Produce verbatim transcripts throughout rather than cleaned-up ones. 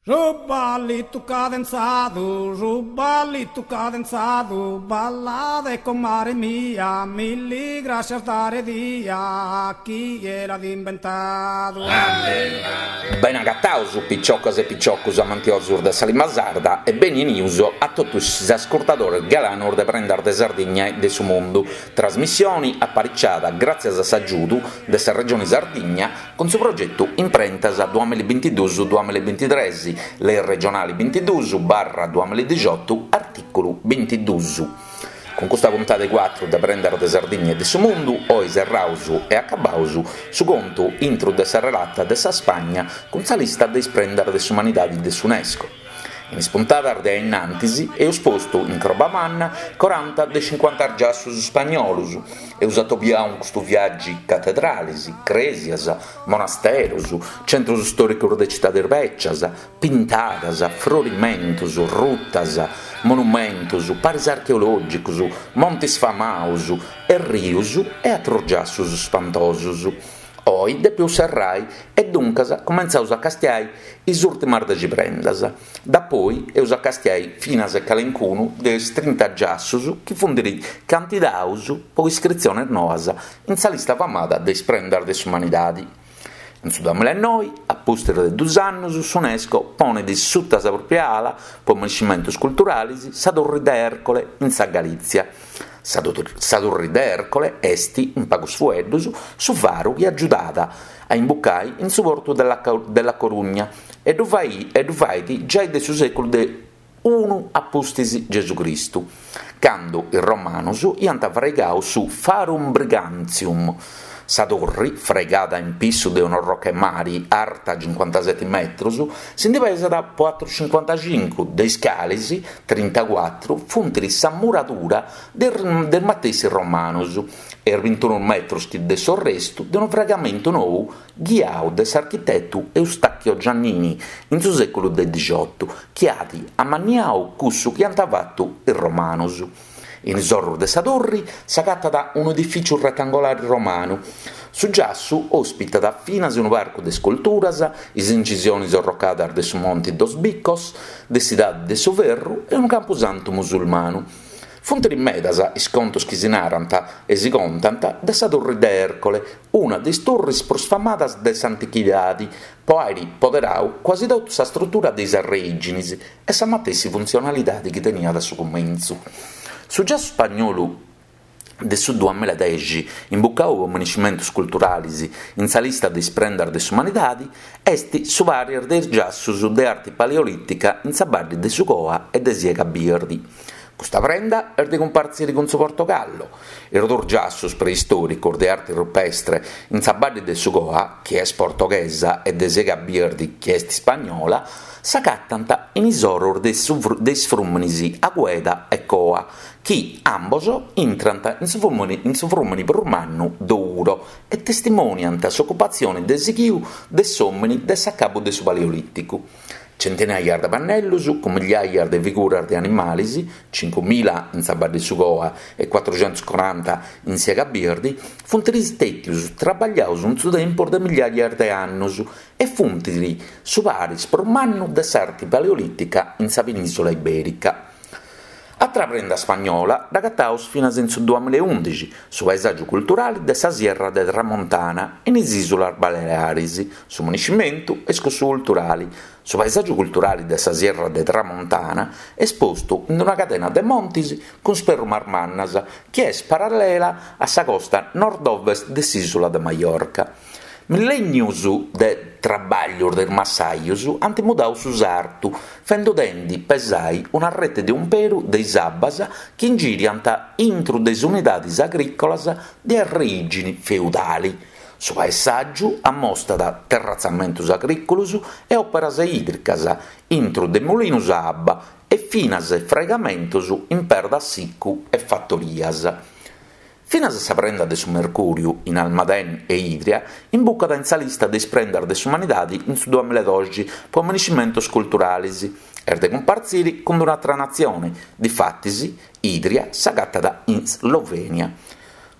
Su ballitu cadenzadu, su ballitu cadenzadu, ballade comare mia, milli grascias dare dia, chie l'at imbentadu. Bene agataus, piciocas e piciocos amantiosos de sa limba sarda e beni 'enius a totus is ascurtadores galanos de Prendas de Sardigna e de su Mundu, trasmissione apariciada gràtzias a s'agiudu de sa Regione Sardigna cun su progetu Imprentas duamilla e bintiduus duamilla e bintitres, Lei regionale bintiduus barra duamilla e dixiotu, artìculu bintiduus. Cun custa puntada 'e cuatru de Prendas de Sardigna e de su Mundu, oi serraus e acabaus su contu intru de sa relata de sa Spagna cun sa lista de is prendas de s'umanidadi de s'Unesco. In is puntadas de a innantis eus postu in croba manna coranta de cincuanta giassus spagnolus, eus atobiau in custu viàgiu catedralis, crèsias, monasterus, centrus stòricus de citadis bècias, pintadas, frorimentus, rutas, monumentus, paris archeològicus, montis famaus, errius e atrus giassus spantosus. Oi depeus serrai e duncas cumentzaus a castiai is ùrtimas dexi prendas. Dapoi eus a castiai finas calencunu de is trinta giassus chi funt candidaus po iscritziones noas in sa lista famada de is prendas de s'umanidadi. In su duamilla e noi, a pustis de dus annus, s'Unesco ponet suta sa pròpia ala, po menescimentos culturales, sa Turri de Ercole in sa Galìtzia. Sa Turri de Ercole est, in pagus fueddus, su faru chi agiudat a imbucai in su portu de La Coruña e ddu fait giai de su sèculu de unu a pustis Gesù Cristu, cando is romanos iant fraigadu su Farum Brigantium. Sa turri, fraigada in pissu de un'orroca 'e mari arta cincuantaseti metrus, si ndi pesat po atrus cincuantacincu, de is cales trintacuatru funt sa muradura de is matessi romanos e is bintunu metrus de s'orrestu de unu fraigamentu nou ghiau de s'architetu Eustachio Giannini in su sèculu de dixiotu, chi at amanniau cussu chi ant fatu is romanos. In is orrus de sa turri s'agatat unu edifìtziu retangolare romanu. Su giassu òspitat finas unu parcu de isculturas, is incisiones orrocadas de su Monte dos Bicos, de s'Idade de su Ferru e unu campusantu musulmanu. Funt medas is contos chi si narant e si contant de sa Turri de Ercole, una de is turris prus famadas de s'antichidade, po àere poderadu quasi totu sa strutura de is arreìgines e sa matessi funtzionalidade chi teniat a su cumentzu. Su giassu spagnolu de su duamilla e dexi, imbucadu po menescimentos culturales in sa lista de is prendas de s'umanidade, est su paris de is giassos de arte paleolìtica in sa badde de su Coa e de Siega Birdi. Custa prenda est de cumpartzire cun su Portogallo. Is duos giassos preistòricos de arte rupestre in sa badde de su Coa, chi est portoghesa, e de Siega Birdi, chi est ispagnola, s'agatant in is oros de is frùmenes Agueda e Coa, chi ambos intrant in su frùmene prus mannu Douro e testimòniant s'ocupatzione de sighiu de s'òmine de s'acabu de su Paleolìticu. Centinaias de pannellos cun migliaias de figuras de animales, cincumila in sa Badde su Coa e cuatruxentuscoranta in Siega Birdi, funt istètios trabagliados in su tempus de migliaias de annos e funt su paris prus mannu de s'arte paleolìtica in sa penìsula ibèrica. Atra prenda spagnola dd'agataus finas in su duamilla e undixi, su paesàgiu culturale de sa Sierra de Tramontana in is Ìsulas Baleares. Su menescimentu est cussu culturale. Su paesàgiu culturale de sa Sierra de Tramontana est postu in una cadena de montes cun sperrumas mannas chi est parallela a sa costa nord-ovest de s'ìsula de Mallorca. Millènnios de trabàllios de is massajos ant mudadu su sartu, fendodendi pesai una rete de umperu de is abbas chi ingiriant intro de is unidades agrìcolas de arreìgine feudale. Su paesàgiu ammostat terratzamentos agrìcolos e òperas ìdricas intro de mulinos a abba e finas fraigamentos in perda sicu e fatorias. Finas sa prenda de su Mercùriu in Almadén e Idria imbucat in sa lista de is prendas de s'umanidade in su duamilla e doxi po menescimentos culturales. Est de cumpartzire cun un'atra natzione, difatis Idria s'agatat in Slovènia.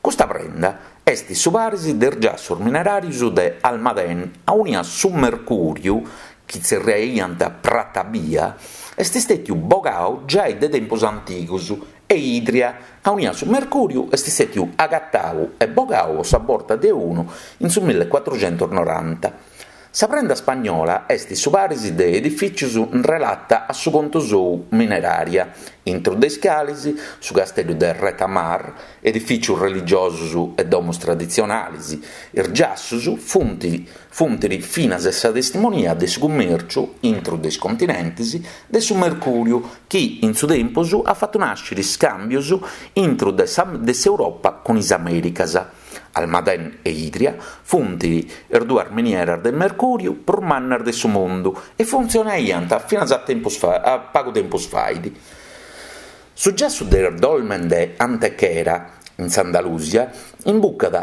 Custa prenda est su paris de is giassos mineràrios de Almadén, aunia su mercùriu, chi tzerriaiant prata bia, est istètiu bogau giai de tempus antigus e Idria, aunia su mercùriu est istètiu agatau e bogau po sa borta de unu in su millecuatruxentusnoranta. Sa prenda spagnola est su paris de edifìtzios in relata a su contu sou minerària, intro de is cales su casteddu de Retamar, edifìtzios religiosos e domos traditzionales. Is giassos funt funt finas sa testimonia de su cummèrciu intro de is continentes de su mercùriu chi in su tempus at fatu nàschere iscàmbios intro de sa de s'Europa cun is Amèricas. Almadén e Idria funt is duas minieras de mercùriu prus mannas de su mundu e funtzionaiant finas a tempus fa a pagu tempus fait. Su giassu de is dolmen de Antequera, in s'Andalusia, imbucat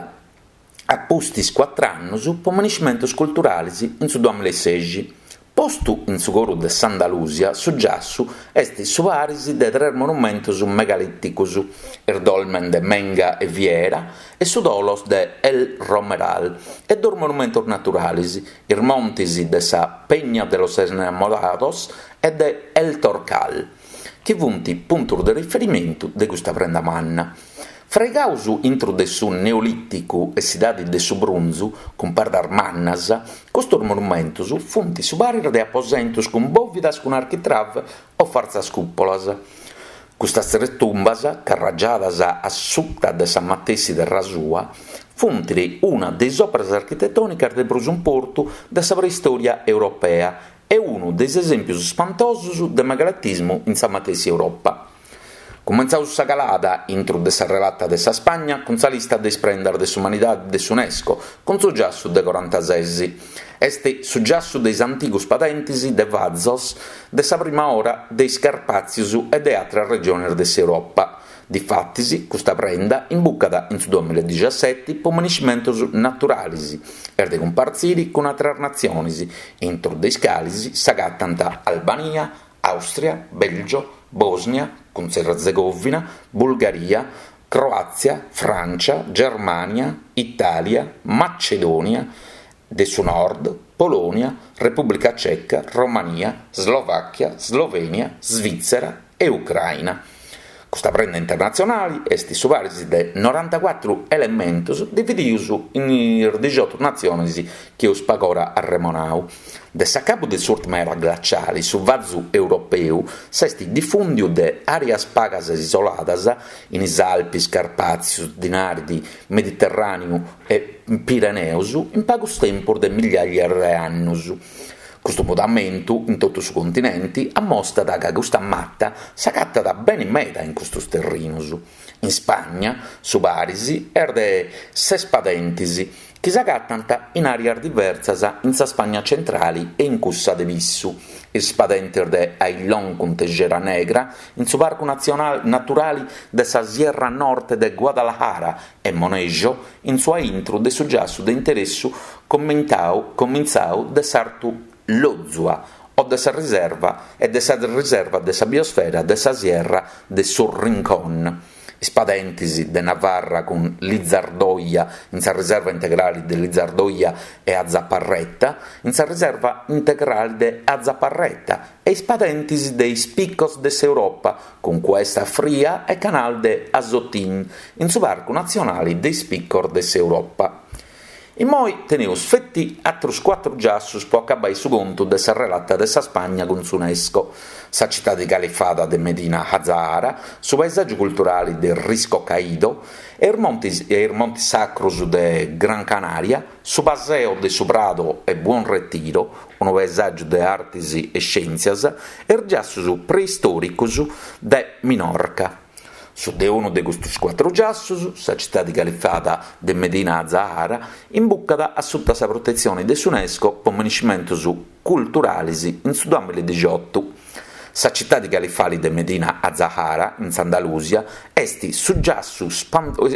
a pustis cuatru annos po minescimentos culturales in su duamilla e sexi. Postu in su coru de s'Andalusia, su giassu est su paris de tres monumentos megalìticos, is dolmen de Menga e Viera e su tholos de El Romeral, e dos monumentos naturales, is montes de sa Peña de los Enamorados e de El Torcal, chi funt puntos de riferimentu de custa prenda manna. Fraigados intro de su Neolìticu e s'Idade de su Brunzu, cun perdas mannas, custos monumentos funt su paris de aposentos cun bòvidas cun architrave o fartzas cùpolas. Custas tres tumbas, carragiadas a suta de sa matessi terra sua, funt una de is òperas architetònicas de prus importu de sa preistòria europea e unu de is esèmpios ispantosos de megalitismu in sa matessi Europa. Cumentzaus sa calada intro de sa relata de sa Spagna cun sa lista de is prendas de s'umanidade de s'UNESCO, cun su giassu de corantases. Est su giassu de is antigos padentes de fazos de sa prima ora de is Carpàtzios e de àteras regiones de s'Europa. Difatis, custa prenda imbucat in su duamilla e diciasete po minescimentos naturales e de cumpartzire cun àteras natziones, intro de is cales s'agatant Albania, Àustria, Bèlgio, Bòsnia, cun Erzegovina, Bulgaria, Croàtzia, Frància, Germània, Itàlia, Macedònia de su Nord, Polònia, Repùblica Ceca, Romania, Slovàchia, Slovènia, Svìtzera e Ucraina. Custa prenda internatzionale est su paris de norantacuatru elementos divididos in is diciotto natziones chi eus pagora arremonadu. De s'acabu de s'ùrtima era glaciale, su vazu europeu s'est difùndiu de àreas pagas isoladas in is Alpes, Carpàtzios, Dinaridi, Mediterràneu e Pireneos in pagus tempos de migliàrias de annos. Custu mudamentu in totu su continente ammostat ca custa mata s'agatat bene meda in custos terrinos. In Spagna su paris est de ses padentes chi s'agatant in àreas diversas in sa Spagna centrale e in cussa de Pissu. Is padentes de Ailón cun Tejera Negra in su Parcu Natzionale Naturale de sa Sierra Norte de Guadalajara e Monejo in su aintru de su giassu de interessu comintzadu de s'Artu Lozua o de sa riserva e de sa riserva de sa biosfera de sa Sierra de su Rincón. Is padentes de Navarra cun Lizardoia in sa riserva integrale de Lizardoia e Azaparreta in sa riserva integrale de Azaparreta e is padentes de is Picos de s'Europa cun Cuesta Fria e Canal de Asotín in su Parcu Natzionale de is Picos de s'Europa. Immoi teneus feti atrus cuatru giassus po acabai su contu de sa relata de sa Spagna cun s'UNESCO. Sa citade califada de Medina Azahara, su paesàgiu culturale de Risco Caído e is montes, e is montes sacros de Gran Canaria, su Paseo de su Prado e Buon Retiro, unu paesàgiu de artes e scièntzias, e is giassus preistòricos de Minorca. Su de unu de custos cuatru giassus, sa citade califada de Medina Azahara, imbucat a suta sa protetzione de s'UNESCO po minescimentos culturales in su duamilla e diciotto. Sa citade califale de Medina Azahara, in s'Andalusia, est su giassu,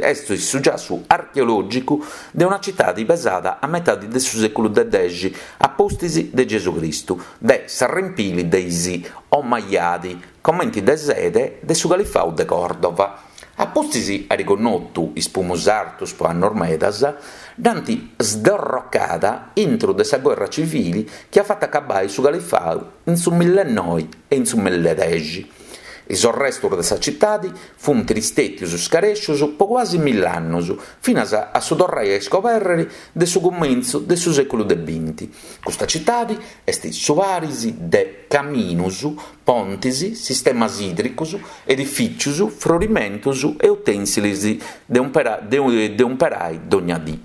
est su giassu archeològicu de una citade pesada a metade de su sèculu de dexi, a pustis de Gesù Cristu, de s'arrempili de is Omayyadi, comente de sede de su Califadu de Còrdova. A pustis ari connotu is pumus artus po annos medas, dd'ant sdorrocada intro de sa guerra civile chi at fatu acabai su califau in su millenoi e in su milledexi. Is arrestos de sa citade funt istètios scarèscios po quasi mill'annos, finas a su torrai a iscobèrrere de su cumentzu de su sèculu de binti. Custa citade est su paris de caminos, pontes, sistemas ìdricos, edifìtzios, frorimentos e utènsiles de umpera, de, de umperai dogna dì.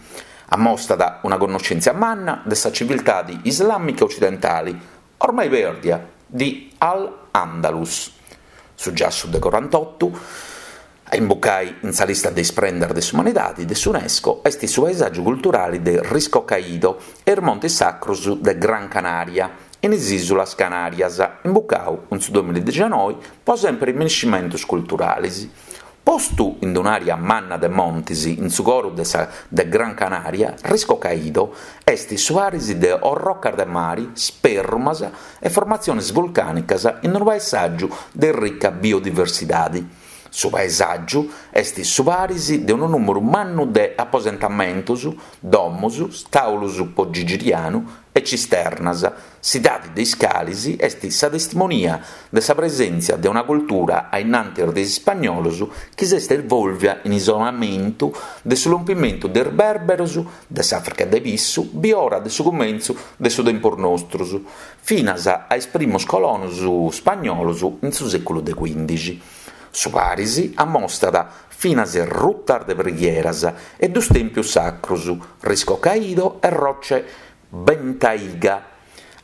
Ammostat una connoschèntzia manna de sa civiltade islàmica occidentale, ormai pèrdia, di Al-Andalus. Su giassu de corantotto, a imbucai in sa lista de is prendas de s'umanidade de s'UNESCO, est su paesàgiu culturale de Risco Caído e is Montes Sacros de Gran Canaria, in is Ìsulas Canàrias, imbucau in su duemiladixanoi po sempre miniscimentos culturales. Postu in un'àrea manna de montes in su coro de, sa, de Gran Canaria, Risco Caído est su paris de orrocas de mare, sperrumas e formatziones vulcànicas in unu paesàgiu de ricca biodiversidade. Su paesàgiu est su paris de unu nùmeru mannu de aposentamentos, domos, stàulos po gigirianu e cisternas. S'idade de is cales est sa testimonia de sa presèntzia de una cultura a innantis de is ispagnolos chi s'est evolvia in isolamentu de su lompimentu de is berberos de s'Àfrica de Pissu, biora de su cumentzu de su tempus nostros, finas a is primos colonos spagnolos in su sèculu de quindixi. Su paris ammostat finas rutas de preghieras e dus tèmpios sacros, Risco Caído e Roche Bentayga.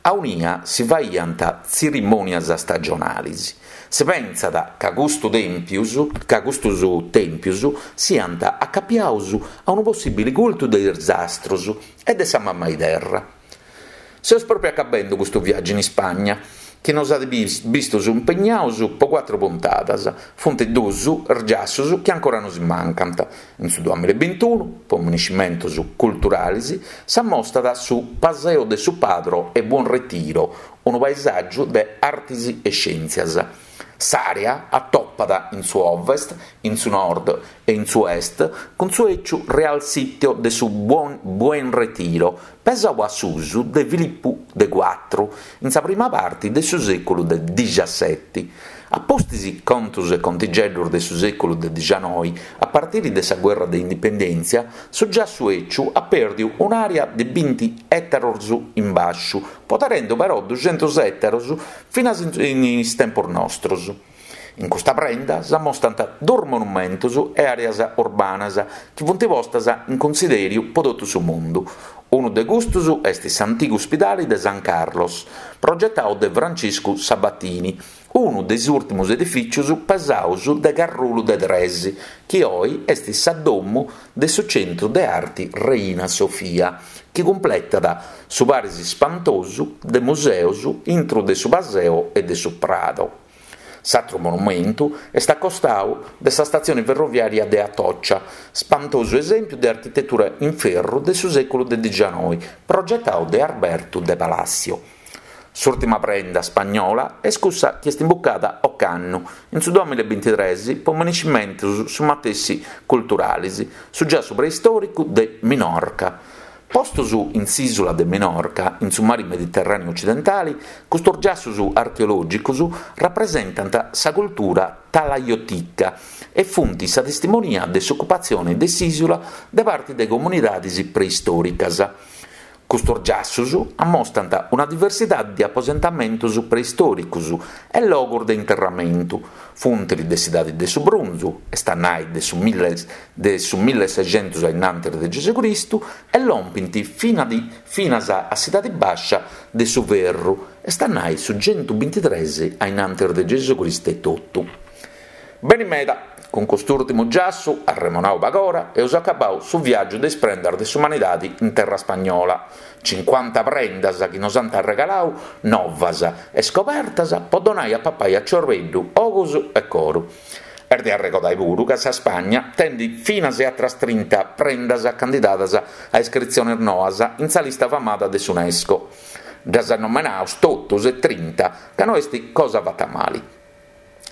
A unia si faiant tzerimònias stagionales. Si pensat ca custu tèmpios, ca custos tèmpios siant acapiados a unu possìbile cultu de is astros e de sa mamma terra. Seus proprio acabendo custu viàgiu in Ispagna, chi nos at bistos impegnados po quattro puntadas. Funt dus giassos chi ancora nos mancant. In su duemilaebintiunu, po miniscimentos culturales, s'ammostat su Paseo de su Padro e Buon Retiro, unu paesàgiu de artes e scièntzias. S'àrea attopat in su ovest, in su nord e in su est cun su ecciu Real Sitio de su Buon, Buen Retiro, pesau a susu de Filippu de quattro, in sa prima parte de su sèculu de diciassette. A pustis contos e contigeddos de su sèculu de dicianoi, a partire de sa guerra de indipendèntzia, su giassu ecciu ha perdiu un'àrea de binti ètaros in basciu, poderendo però ducentos ètaros finas in is tempos nostros. In custa prenda s'ammostant dos monumentos e àreas urbanas chi funt postas in considèriu po totu su mundu. Unu de custos est s'antigu ospidale de San Carlos, progettadu de Francisco Sabatini, unu de is ùrtimos edifìtzios pesados de Carrulu de Tres, chi oe est sa domo de su Centru de Arte Reina Sofia, chi cumpletat su paris ispantosu de museos intro de su Paseo e de su Prado. S'altro monumentu est accostadu de sa stazione ferroviaria de Atocha, spantoso esempio de architettura in ferro de su sèculu de dicianoi, progettadu de Alberto de Palacio. S'ultima prenda spagnola est cussa chi est imbucada ocannu, in su duemilaebintitrès, po miniscimentos su matessi culturales, su giassu preistoricu de Minorca. Postos in s'ìsula de Minorca, in su mare Mediterràneu occidentale, custos giassos archeològicos rappresentant sa cultura talaiotica e funt sa testimonia de s'occupatzione de s'ìsula de parte de comunidades preistòricas. Custos giassos ammostant una diversidade de aposentamentos preistòricos e logos de interramentu, funt de s'idade de su brunzu, est a nai de su mille, de su milleseichentos innantis de Gesù Cristu, e lompint fina di, finas a s'idade bascia de su ferru, est a nai su centubintitrès innantis de Gesù Cristu e totu. Beni meda, Con cust'ultimo giassu, arremonau pagora, eus acabau su viàgiu de is prendas de s'umanidade in terra spagnola. Cinquanta prendas chi nos ant arregalau novas e scobertas po donai a papai a ciorbeddu, ogus e coru. Est de arregodai puru ca sa Spagna tenit finas e atras trinta prendas candidadas a iscritziones noas in sa lista famada de s'UNESCO. Ddas nomenaus totus e trinta, ca no est cosa fatta mali.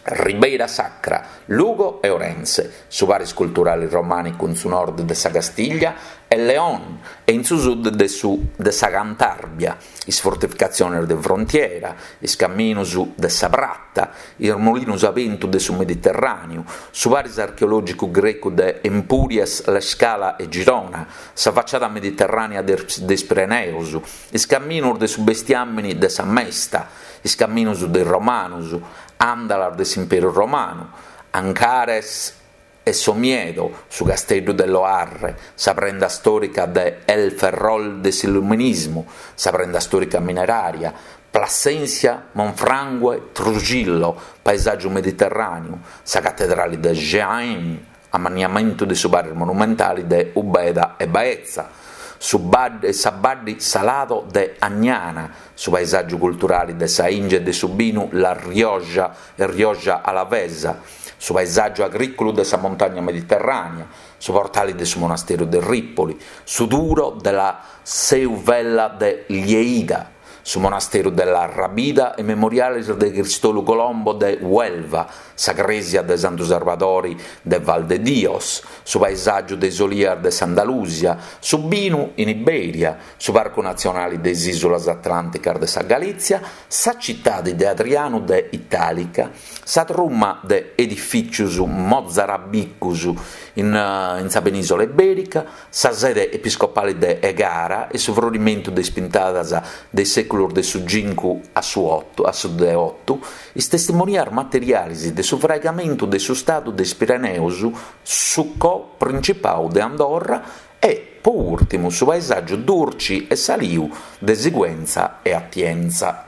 Ribeira Sacra, Lugo e Orense, su paris culturale romànicu in su nord de sa Castiglia e León e in su sud de su de sa Cantàbria, is fortificatziones de frontiera, is caminos de sa prata, is molinos a bentu de su Mediterràneu, su paris archeològicu grecu de Empúries, L'Escala e Girona, sa faciada mediterrànea de is Pireneos, is caminos de su bestiàmene de sa Mesta, is caminos de is Romanos, àndalas de s'Imperu Romanu, Ancares e Somiedo, su casteddu de Loarre, sa prenda stòrica de El Ferrol de s'Illuminismu, sa prenda stòrica minerària, Plasencia, Monfragüe, Trujillo, paesàgiu mediterràneu, sa catedrale de Jaén, amanniamentu de su paris monumentale de Ubeda e Baeza, su bad sa Badde Salado de Añana, su paesàgiu culturale de sa 'ìngia e de su binu La Rioja e Rioja Alavesa, su paesàgiu agrìculu de sa montagna mediterrànea, su portale de su monasteru de Ripoli, su Duro de la Seu Vella de Lleida, su monasteru de la Rabida e memoriales de Cristolu Colombo de Huelva, sa crèsia de Santu Sarbadori de Valdedios, su paesàgiu de is olias de s'Andalusia, su binu in Iberia, su Parcu Natzionale de is Ìsulas Atlànticas de sa Galìtzia, sa citade de Adrianu de Itàlica, sa truma de edifìtzios mozarabicos in, in sa penìsula ibèrica, sa sede episcopale de Egara e su frorimentu de is pintadas de is sèculos de su cincu a su oto, a su de oto, is testimonias materiales de su fraigamentu de su Stadu de is Pireneos, su co-principau de Andorra e, po ùrtimu, su paesàgiu durci e saliu de Sigüenza e Atienza.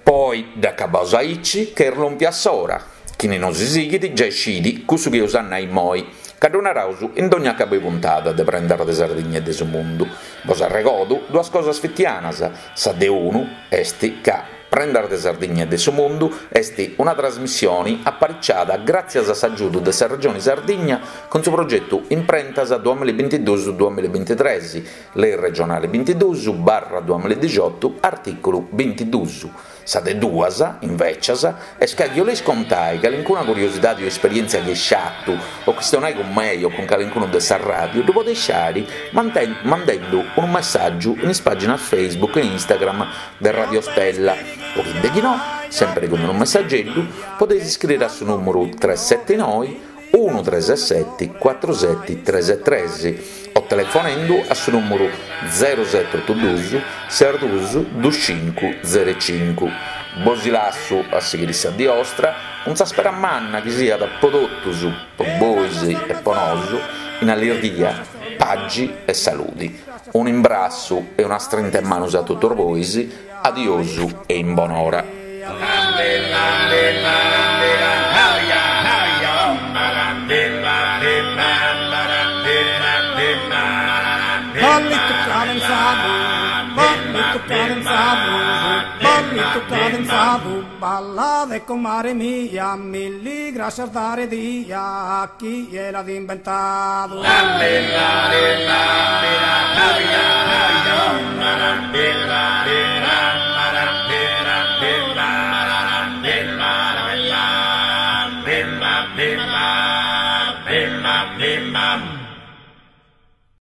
Poi, dd'acabaus aici, che est lòmpia s'ora. Chini nosi sighit giai scit cussu chi eus a nai immoi, ca ddu naraus in dogna acabu 'e puntada de Prendas de Sardigna e de su Mundu. Bos arregodu duas cosas fitianas, sa de unu est ca Prendas de Sardigna e de su Mundu est una trasmissione apariciada gràtzias a s'agiudu de sa Regione Sardigna cun su progetu Imprentas duamillabintiduus duamillabintitres, Lei regionale bintiduus barra duamilladixotu, artìculu bintiduus. Sa de duas, invècias, est ca chi 'oleis contai calincuna curiosidade o esperièntzia chi eis fatu, o chistionai cun mei o cun calincunu de sa ràdiu, ddu podeis fai mandendu unu messàgiu in is pàginas Facebook e Instagram de Radio Stella, o chi de chi no, sèmpere cun unu messageddu, podeis iscriri a su nùmeru tres seti noi unu tres seti cuatru seti tres tres o telefonendu a su nùmeru zero sete otu duus ses duus duus cincu zero cincu. Bos lassu a sighiri sa die 'ostra cun sa spera manna chi siat po totus, po bois e po nosu, in allirghia, pagi e saludi. Un'imbrassu e una strinta 'e manus a totus bois, adiosu e in bonora. Ballito cadenzado, ballito cadenzado, ballito cadenzado, balla de comare mia, milli gracias dare dia a chi l'ha inventado.